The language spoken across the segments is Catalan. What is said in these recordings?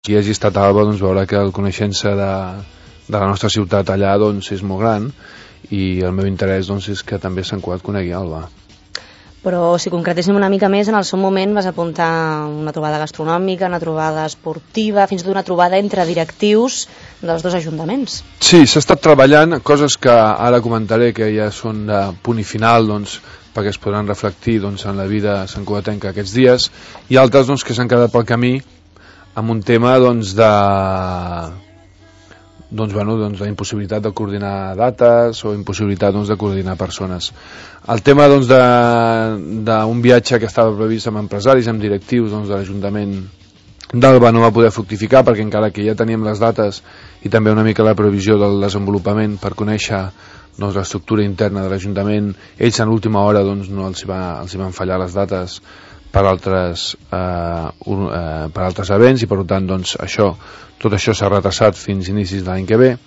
qui hagi estat a Alba doncs veurà que el coneixença de la nostra ciutat allà doncs és molt gran, i el meu interès doncs és que també Sant Cugat conegui Alba. Però si concretéssim una mica més, en el seu moment vas apuntar una trobada gastronòmica, una trobada esportiva, fins i tot una trobada entre directius dels dos ajuntaments. Sí, s'ha estat treballant coses que ara comentaré, que ja són de punt i final, doncs, perquè es podran reflectir doncs, en la vida santcugatenca aquests dies, i altres doncs, que s'han quedat pel camí amb un tema doncs, la impossibilitat de coordinar dates o impossibilitat doncs, de coordinar persones. El tema doncs, d'un viatge que estava previst amb empresaris, amb directius doncs, de l'Ajuntament d'Alba no va poder fructificar, perquè encara que ja teníem les dates i també una mica la previsió del desenvolupament per conèixer doncs, l'estructura interna de l'Ajuntament, ells en l'última hora doncs, no els van fallar les dates per altres events, i per tant doncs, tot això s'ha retrasat fins inicis de l'any que ve.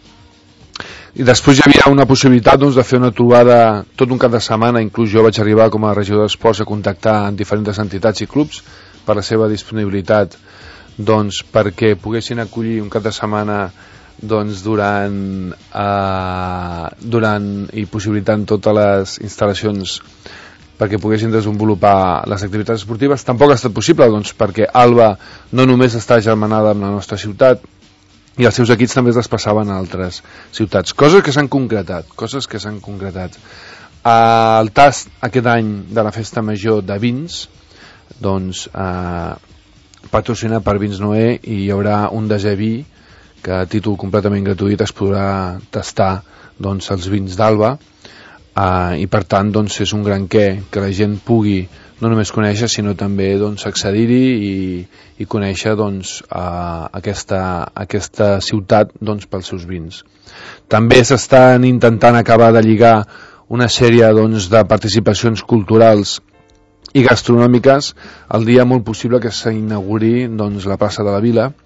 I després hi havia una possibilitat doncs, de fer una trobada tot un cap de setmana. Inclús jo vaig arribar com a regidor d'Esports a contactar amb diferents entitats i clubs per la seva disponibilitat doncs, perquè poguessin acollir un cap de setmana doncs, durant i possibilitant totes les instal·lacions perquè poguessin desenvolupar les activitats esportives. Tampoc ha estat possible doncs, perquè Alba no només està germanada amb la nostra ciutat, i els seus equips també es despassaven a altres ciutats, coses que s'han concretat. El tast aquest any de la festa major de vins doncs, patrocinat per Vins Noé, i hi haurà un desè vi que a títol completament gratuït es podrà tastar doncs, els vins d'Alba. I per tant doncs, és un gran que la gent pugui no només conèixer sinó també doncs, accedir-hi i conèixer doncs, aquesta ciutat doncs, pels seus vins. També s'estan intentant acabar de lligar una sèrie doncs, de participacions culturals i gastronòmiques el dia molt possible que s'inauguri doncs, la plaça de la Vila,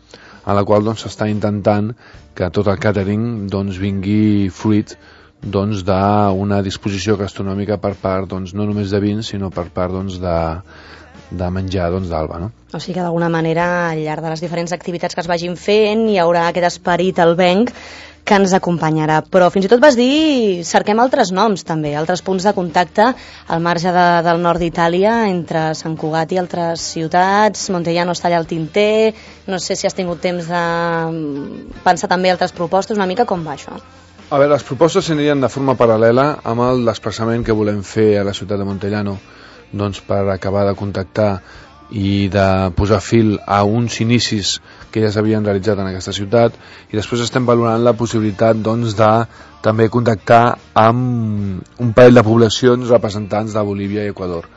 a la qual doncs, s'està intentant que tot el càtering doncs, vingui fruit doncs, d'una disposició gastronòmica per part doncs, no només de vins sinó per part doncs, de menjar doncs, d'Alba, no? O sigui que d'alguna manera al llarg de les diferents activitats que es vagin fent hi haurà aquest esperit albenc que ens acompanyarà, però fins i tot vas dir cerquem altres noms també, altres punts de contacte al marge del nord d'Itàlia entre Sant Cugat i altres ciutats. Montellano està allà al tinter, no sé si has tingut temps de pensar també altres propostes, una mica com va això? A veure, les propostes s'anirien de forma paral·lela amb el desplaçament que volem fer a la ciutat de Montellano doncs, per acabar de contactar i de posar fil a uns inicis que ja s'havien realitzat en aquesta ciutat, i després estem valorant la possibilitat doncs, de també contactar amb un parell de poblacions representants de Bolívia i Equador.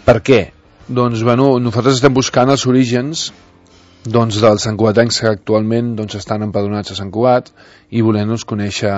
Per què? Doncs bueno, nosaltres estem buscant els orígens doncs, dels santcugatencs que actualment doncs, estan empadronats a Sant Cugat i volem-nos conèixer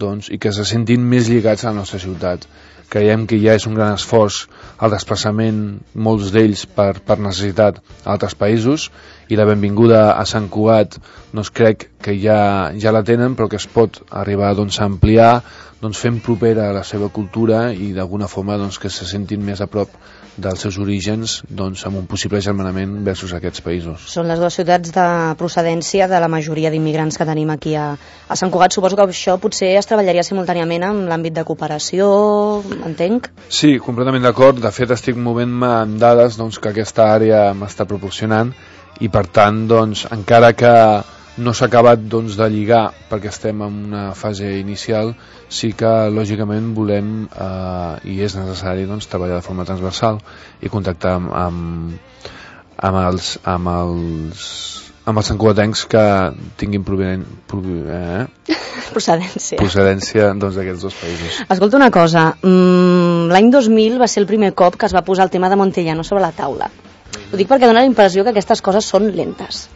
doncs, i que se sentin més lligats a la nostra ciutat. Creiem que ja és un gran esforç el desplaçament, molts d'ells per necessitat a altres països, i la benvinguda a Sant Cugat doncs, crec que ja la tenen, però que es pot arribar doncs, a ampliar doncs, fent propera a la seva cultura i d'alguna forma doncs, que se sentin més a prop dels seus orígens doncs, amb un possible germanament versus aquests països. Són les dues ciutats de procedència de la majoria d'immigrants que tenim aquí a Sant Cugat. Suposo que això potser es treballaria simultàniament amb l'àmbit de cooperació, entenc? Sí, completament d'acord. De fet, estic movent-me amb dades doncs, que aquesta àrea m'està proporcionant, i per tant, doncs, encara que no s'ha acabat doncs, de lligar perquè estem en una fase inicial, sí que lògicament volem i és necessari doncs, treballar de forma transversal i contactar amb els santcugatencs que tinguin procedència doncs, d'aquests dos països. Escolta una cosa, l'any 2000 va ser el primer cop que es va posar el tema de Montellano sobre la taula. Ho dic perquè dona la impressió que aquestes coses són lentes.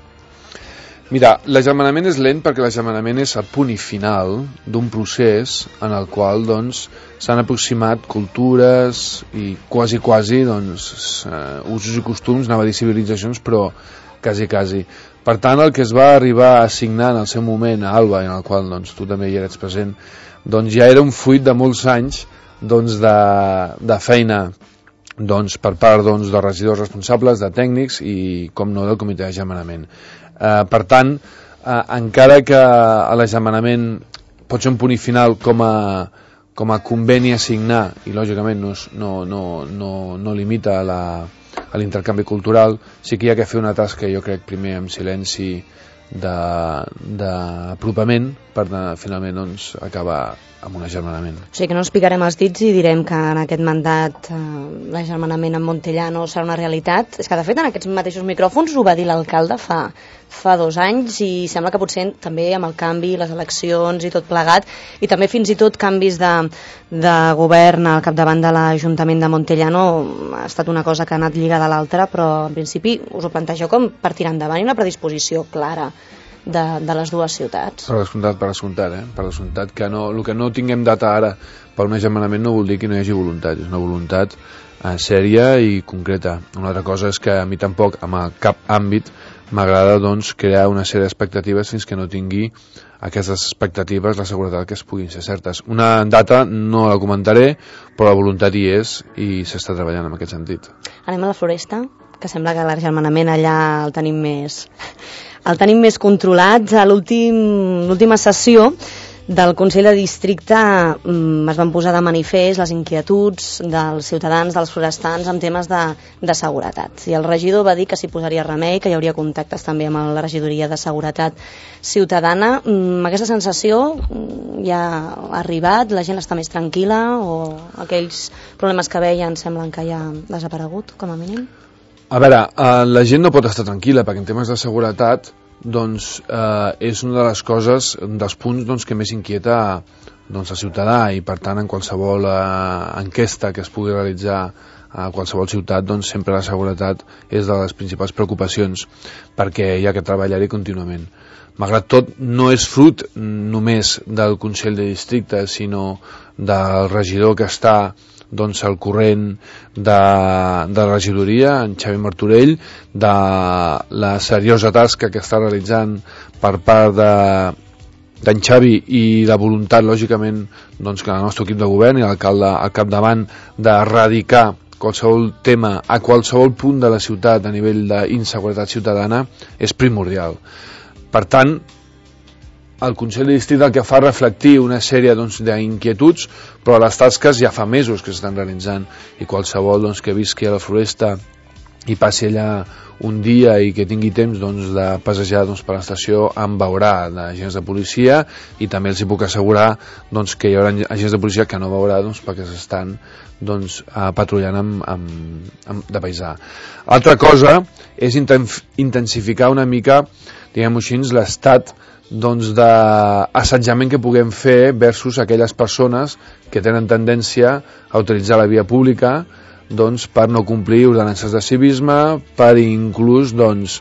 Mira, l'agermanament és lent perquè l'agermanament és el punt i final d'un procés en el qual doncs, s'han aproximat cultures i quasi doncs, usos i costums, anava a dir civilitzacions, però quasi. Per tant, el que es va arribar a signar en el seu moment a Alba, en el qual doncs, tu també hi eres present, doncs ja era un fruit de molts anys doncs, de feina doncs, per part doncs, de regidors responsables, de tècnics i, com no, del comitè d'agermanament. Per tant, encara que l'agermanament pot ser un punt final com a conveni a signar i lògicament no limita a l'intercanvi cultural, sí que hi ha que fer una tasca, jo crec, primer amb silenci d'apropament per finalment doncs, acabar amb un agermanament. O sigui que no ens picarem els dits i direm que en aquest mandat l'agermanament amb Montellà no serà una realitat. És que de fet en aquests mateixos micròfons ho va dir l'alcalde fa 2 anys i sembla que potser també amb el canvi, les eleccions i tot plegat, i també fins i tot canvis de govern al capdavant de l'Ajuntament de Montellà ha estat una cosa que ha anat lligada a l'altra, però en principi us ho plantegeu com per tirar endavant i una predisposició clara de les dues ciutats. Per descomptat, que el que no tinguem data ara per un agermanament no vol dir que no hi hagi voluntat, és una voluntat sèria i concreta. Una altra cosa és que a mi tampoc, en cap àmbit, m'agrada doncs, crear una sèrie d'expectatives fins que no tingui aquestes expectatives la seguretat que es puguin ser certes. Una data no la comentaré, però la voluntat hi és i s'està treballant en aquest sentit. Anem a la Floresta, que sembla que l'agermanament allà el tenim més controlat. A l'última sessió del Consell de Districte es van posar de manifest les inquietuds dels ciutadans, dels forestans, en temes de seguretat. I el regidor va dir que s'hi posaria remei, que hi hauria contactes també amb la regidoria de seguretat ciutadana. Aquesta sensació ja ha arribat? La gent està més tranquil·la o aquells problemes que veien semblen que ja han desaparegut, com a mínim? A veure, la gent no pot estar tranquil·la perquè en temes de seguretat doncs, és una de les coses, dels punts doncs, que més inquieta doncs, el ciutadà, i per tant en qualsevol enquesta que es pugui realitzar a qualsevol ciutat, doncs sempre la seguretat és de les principals preocupacions perquè hi ha que treballar-hi contínuament. Malgrat tot, no és fruit només del Consell de Districte, sinó del regidor que està doncs, al corrent de la regidoria, en Xavi Martorell, de la seriosa tasca que està realitzant per part d'en Xavi i la voluntat, lògicament, doncs, que el nostre equip de govern i l'alcalde al capdavant d'erradicar qualsevol tema a qualsevol punt de la ciutat a nivell d'inseguretat ciutadana és primordial. Per tant, el Consell de Districte el que fa reflectir una sèrie doncs, d'inquietuds, però les tasques ja fa mesos que s'estan realitzant i qualsevol doncs, que visqui a la Floresta i passi allà un dia i que tingui temps doncs, de passejar doncs, per l'estació en veurà d'agents de policia, i també els hi puc assegurar doncs, que hi haurà agents de policia que no veurà doncs, perquè s'estan doncs, patrullant de paisà. Altra cosa és intensificar una mica, diguem-ho així, l'estat doncs, d'assetjament que puguem fer versus aquelles persones que tenen tendència a utilitzar la via pública doncs, per no complir ordenances de civisme, per inclús doncs,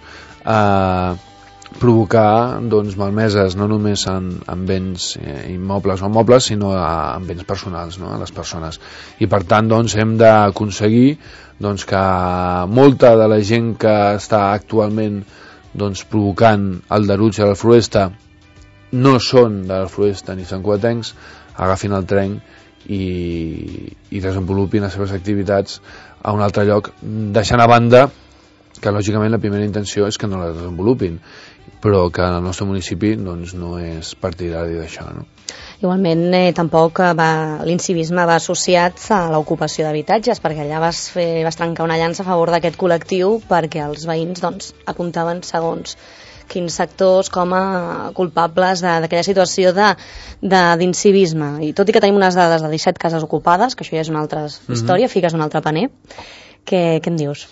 provocar doncs, malmeses no només en béns immobles o mobles, sinó en béns personals, no? A les persones. I per tant doncs, hem d'aconseguir doncs, que molta de la gent que està actualment doncs, provocant el deruig a la Floresta no són de la Floresta ni santcugatencs, agafin el tren i desenvolupin les seves activitats a un altre lloc, deixant a banda que lògicament la primera intenció és que no la desenvolupin, però que en el nostre municipi doncs, no és partidari d'això, no? Igualment, tampoc l'incivisme va associat a l'ocupació d'habitatges, perquè allà vas trencar una llança a favor d'aquest col·lectiu perquè els veïns doncs, apuntaven segons quins sectors com a culpables d'aquella situació d'incivisme. I tot i que tenim unes dades de 17 cases ocupades, que això ja és una altra història, fiques un altre paner, què em dius?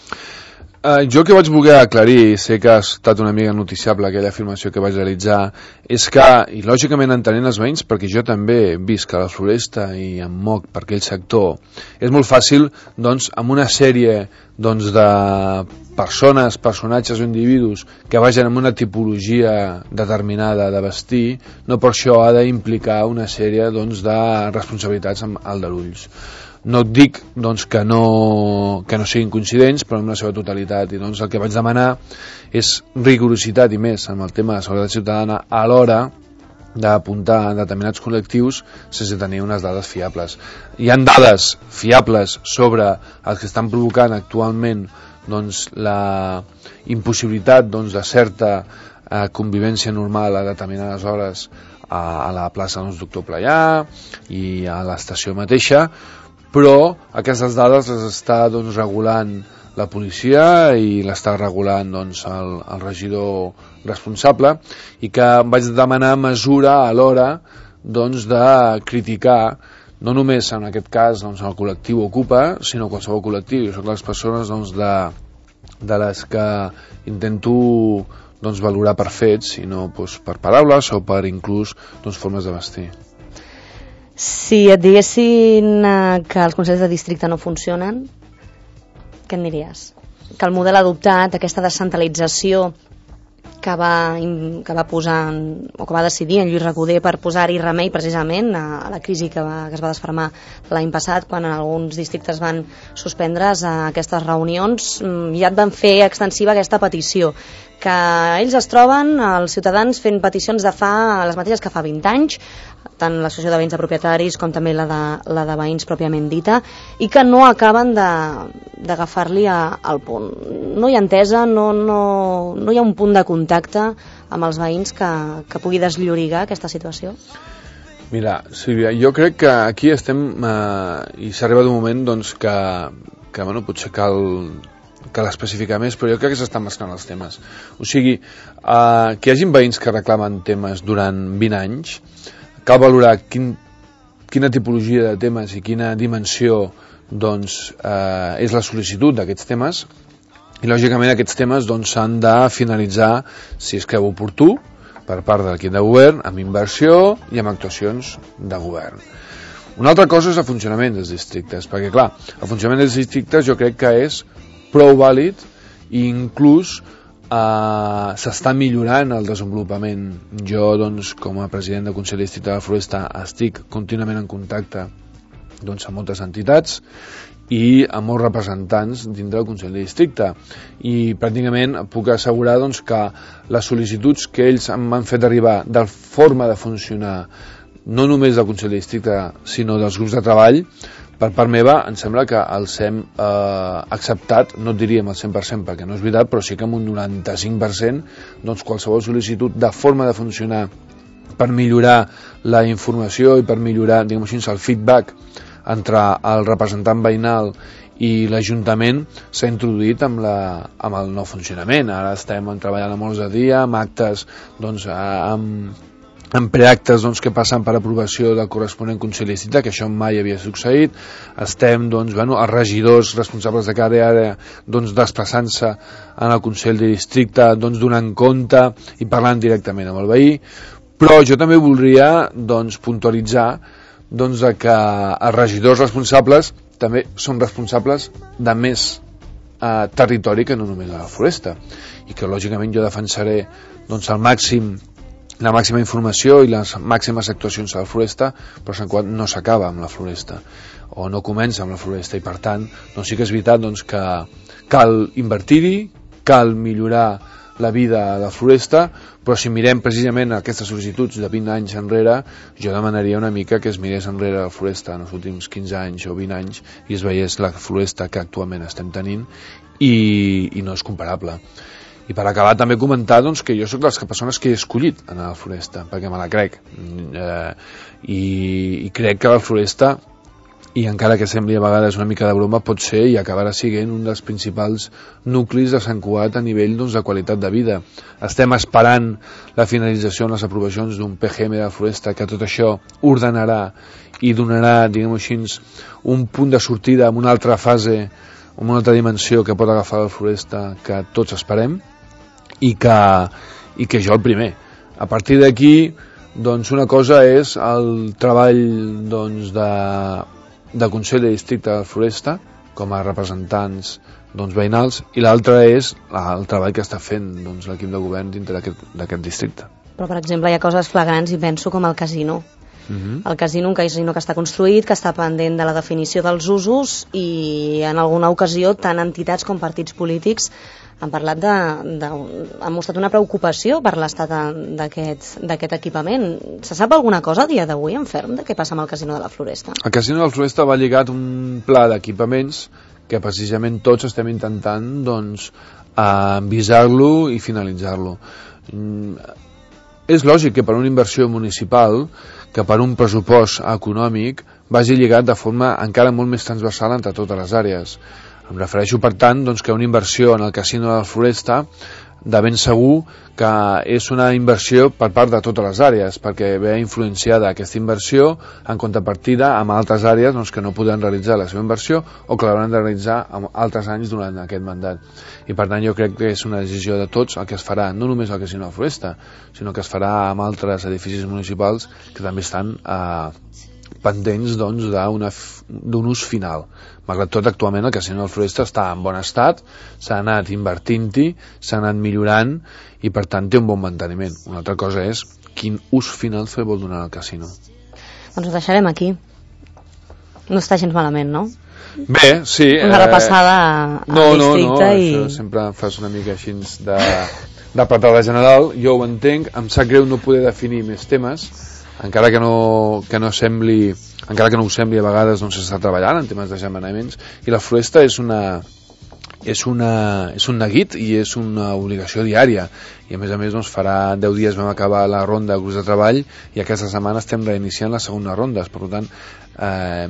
Jo que vaig voler aclarir, sé que ha estat una mica noticiable aquella afirmació que vaig realitzar, és que, i lògicament entenent els veïns, perquè jo també visc a la Floresta i em moc per aquell sector, és molt fàcil, doncs, amb una sèrie doncs, de personatges o individus que vagin amb una tipologia determinada de vestir, no per això ha d'implicar una sèrie doncs, de responsabilitats amb aldarulls. No et dic doncs, que no siguin coincidents, però en la seva totalitat. I doncs, el que vaig demanar és rigorositat i més en el tema de seguretat ciutadana a l'hora d'apuntar determinats col·lectius sense tenir unes dades fiables. Hi ha dades fiables sobre els que estan provocant actualment doncs, la impossibilitat doncs, de certa convivència normal a determinades hores a la plaça doncs, Doctor Playà i a l'estació mateixa, però aquestes dades les està doncs, regulant la policia i l'està regulant doncs, el regidor responsable, i que vaig demanar mesura a l'hora doncs, de criticar no només en aquest cas doncs, el col·lectiu Ocupa, sinó qualsevol col·lectiu. Jo soc les persones doncs, de les que intento doncs, valorar per fets i no doncs, per paraules o per inclús doncs, formes de vestir. Si et diguessin que els consells de districte no funcionen, què en diries? Que el model adoptat, aquesta descentralització que va posar o que va decidir en Lluís Recoder per posar-hi remei precisament a la crisi que es va desfermar l'any passat, quan en alguns districtes van suspendre's aquestes reunions, ja et van fer extensiva aquesta petició, que ells es troben, els ciutadans, fent peticions de les mateixes que fa 20 anys, tant l'associació de veïns de propietaris com també la de veïns pròpiament dita, i que no acaben d'agafar-li al punt. No hi ha entesa, no hi ha un punt de contacte amb els veïns que pugui desllorigar aquesta situació? Mira, Sílvia, jo crec que aquí estem i s'ha arribat un moment doncs, que bueno, potser cal especificar més, però jo crec que s'estan mesclant els temes. O sigui, que hi hagin veïns que reclamen temes durant 20 anys, cal valorar quina tipologia de temes i quina dimensió doncs, és la sol·licitud d'aquests temes, i lògicament aquests temes doncs, s'han de finalitzar, si es creu oportú, per part de l'equip de govern, amb inversió i amb actuacions de govern. Una altra cosa és el funcionament dels districtes, perquè clar, el funcionament dels districtes jo crec que és prou vàlid i inclús s'està millorant el desenvolupament. Jo, doncs, com a president del Consell de Districte de la Floresta, estic contínuament en contacte doncs, amb moltes entitats i amb molts representants dintre del Consell de Districte, i pràcticament puc assegurar doncs, que les sol·licituds que ells m'han fet arribar de forma de funcionar, no només del Consell de Districte sinó dels grups de treball, per part meva em sembla que els hem acceptat, no et diríem el 100% perquè no és veritat, però sí que amb un 95% doncs qualsevol sol·licitud de forma de funcionar per millorar la informació i per millorar, diguem així, el feedback entre el representant veïnal i l'Ajuntament s'ha introduït amb el nou funcionament. Ara estem treballant a molts de dia, amb actes, doncs, amb preactes doncs, que passen per aprovació del corresponent Consell de Districte, que això mai havia succeït. Estem, doncs, els regidors responsables de cada àrea doncs, desplaçant-se en el Consell de Districte, doncs, donant compte i parlant directament amb el veí. Però jo també voldria doncs, puntualitzar doncs, que els regidors responsables també són responsables de més territori que no només de la Floresta, i que lògicament jo defensaré doncs, la màxima informació i les màximes actuacions a la Floresta, però Sant Cugat no s'acaba amb la Floresta o no comença amb la Floresta, i per tant doncs sí que és veritat doncs, que cal invertir-hi, cal millorar la vida a la Floresta, però si mirem precisament aquestes sol·licituds de 20 anys enrere, jo demanaria una mica que es mirés enrere la Floresta en els últims 15 anys o 20 anys i es veiés la Floresta que actualment estem tenint i no és comparable. I per acabar també comentar doncs, que jo soc de les persones que he escollit anar a la Floresta, perquè me la crec, i crec que la Floresta, i encara que sembli a vegades una mica de broma, pot ser i acabarà sent un dels principals nuclis de Sant Cugat a nivell doncs, de qualitat de vida. Estem esperant la finalització en les aprovacions d'un PGM de la Floresta que tot això ordenarà i donarà, diguem així, un punt de sortida amb una altra fase, amb una altra dimensió que pot agafar la Floresta que tots esperem, i que jo el primer. A partir d'aquí, doncs una cosa és el treball doncs, de Consell de Districte de la Floresta com a representants doncs, veïnals, i l'altra és el treball que està fent doncs, l'equip de govern dintre d'aquest districte. Però, per exemple, hi ha coses flagrants i penso com el casino. El casino, un casino que està construït, que està pendent de la definició dels usos, i en alguna ocasió tant entitats com partits polítics han parlat han mostrat una preocupació per l'estat d'aquest equipament. Se sap alguna cosa a dia d'avui en ferm de què passa amb el casino de la Floresta? El casino de la Floresta va lligat un pla d'equipaments que precisament tots estem intentant doncs envisar-lo i finalitzar-lo. És lògic que per una inversió municipal, que per un pressupost econòmic, vagi lligat de forma encara molt més transversal entre totes les àrees. Em refereixo, per tant, doncs, que una inversió en el casino de la Floresta de ben segur que és una inversió per part de totes les àrees, perquè ve influenciada aquesta inversió en contrapartida amb altres àrees doncs, que no poden realitzar la seva inversió o que l'hauran de realitzar en altres anys durant aquest mandat. I per tant jo crec que és una decisió de tots el que es farà, no només al casino de la Floresta, sinó que es farà amb altres edificis municipals que també estan pendents doncs, d'un ús final. Malgrat tot, actualment el casino de la Floresta està en bon estat, s'ha anat invertint-hi, s'ha anat millorant i per tant té un bon manteniment. Una altra cosa és quin ús final se vol donar al casino. Doncs ho deixarem aquí. No està gens malament, no? Bé, sí. Una repassada al districte i... No, sempre fas una mica així de patada general. Jo ho entenc, em sap greu no poder definir més temes, encara que no ho sembli a vegades, doncs s'està treballant en temes d'agermanaments, i la Floresta és un neguit i és una obligació diària, i a més doncs farà 10 dies vam acabar la ronda de grups de treball i aquesta setmana estem reiniciant les segones rondes. Per tant,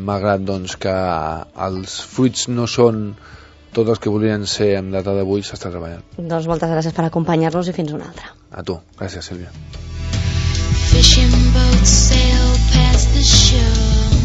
malgrat doncs que els fruits no són tots els que volien ser en data d'avui, s'està treballant. Doncs moltes gràcies per acompanyar-nos i fins una altra. A tu, gràcies Sílvia. Fishing boats sail past the shore.